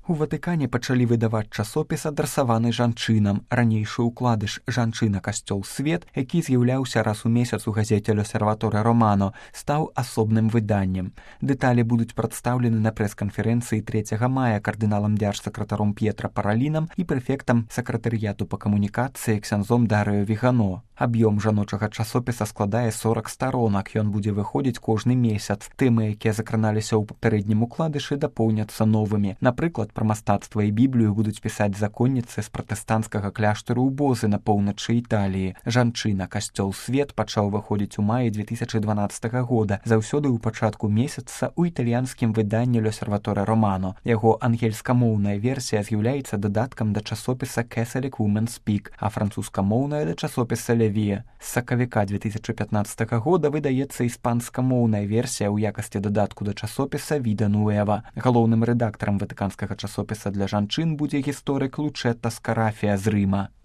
У Ватыкане пачалі выдаваць часопіс, адрасаваны жанчынам. Ранейшы ўкладыш «Жанчына, касцёл, свет», які з'яўляўся раз у месяц у газеце «Л'Осерваторе Романо», стаў асобным выданнем. Дэталі будуць прадстаўлены на прэс-канферэнцыі 3 мая кардыналам дзяржсакратаром П'етра Паралінам і прэфектам сакратарыяту па камунікацыі ксяндзом Дарыё Вігано. Аб'ём жаночага часопіса складае 40 старонак. Ён будзе выходзіць кожны месяц. Тэмы, якія закраналіся ў папярэднім укладышы, дапоўняцца новымі. Напрыклад, пра мастацтва і Біблію будуць пісаць законніцы з пратэстанцкага кляштару ў Бозы на поўначы Італіі. «Жанчына, касцёл, свет» пачаў выходзіць у маі 2012 года, заўсёды ў пачатку месяца ў італьянскім выданні «Л'Осерваторе Романо». Яго ангельскамоўная версія з'яўляецца дадаткам да часопіса «Catholic Women's Speak», а французскамоўная да часопіса «Левія». З сакавіка 2015 года выдаецца іспанскамоўная версія ў якасці дадатку да часопіса «Vida Nueva». Галоўным рэдактарам ватыканскага часопіса для жанчын будзе гісторык Лучетта Скарафія з Рыма.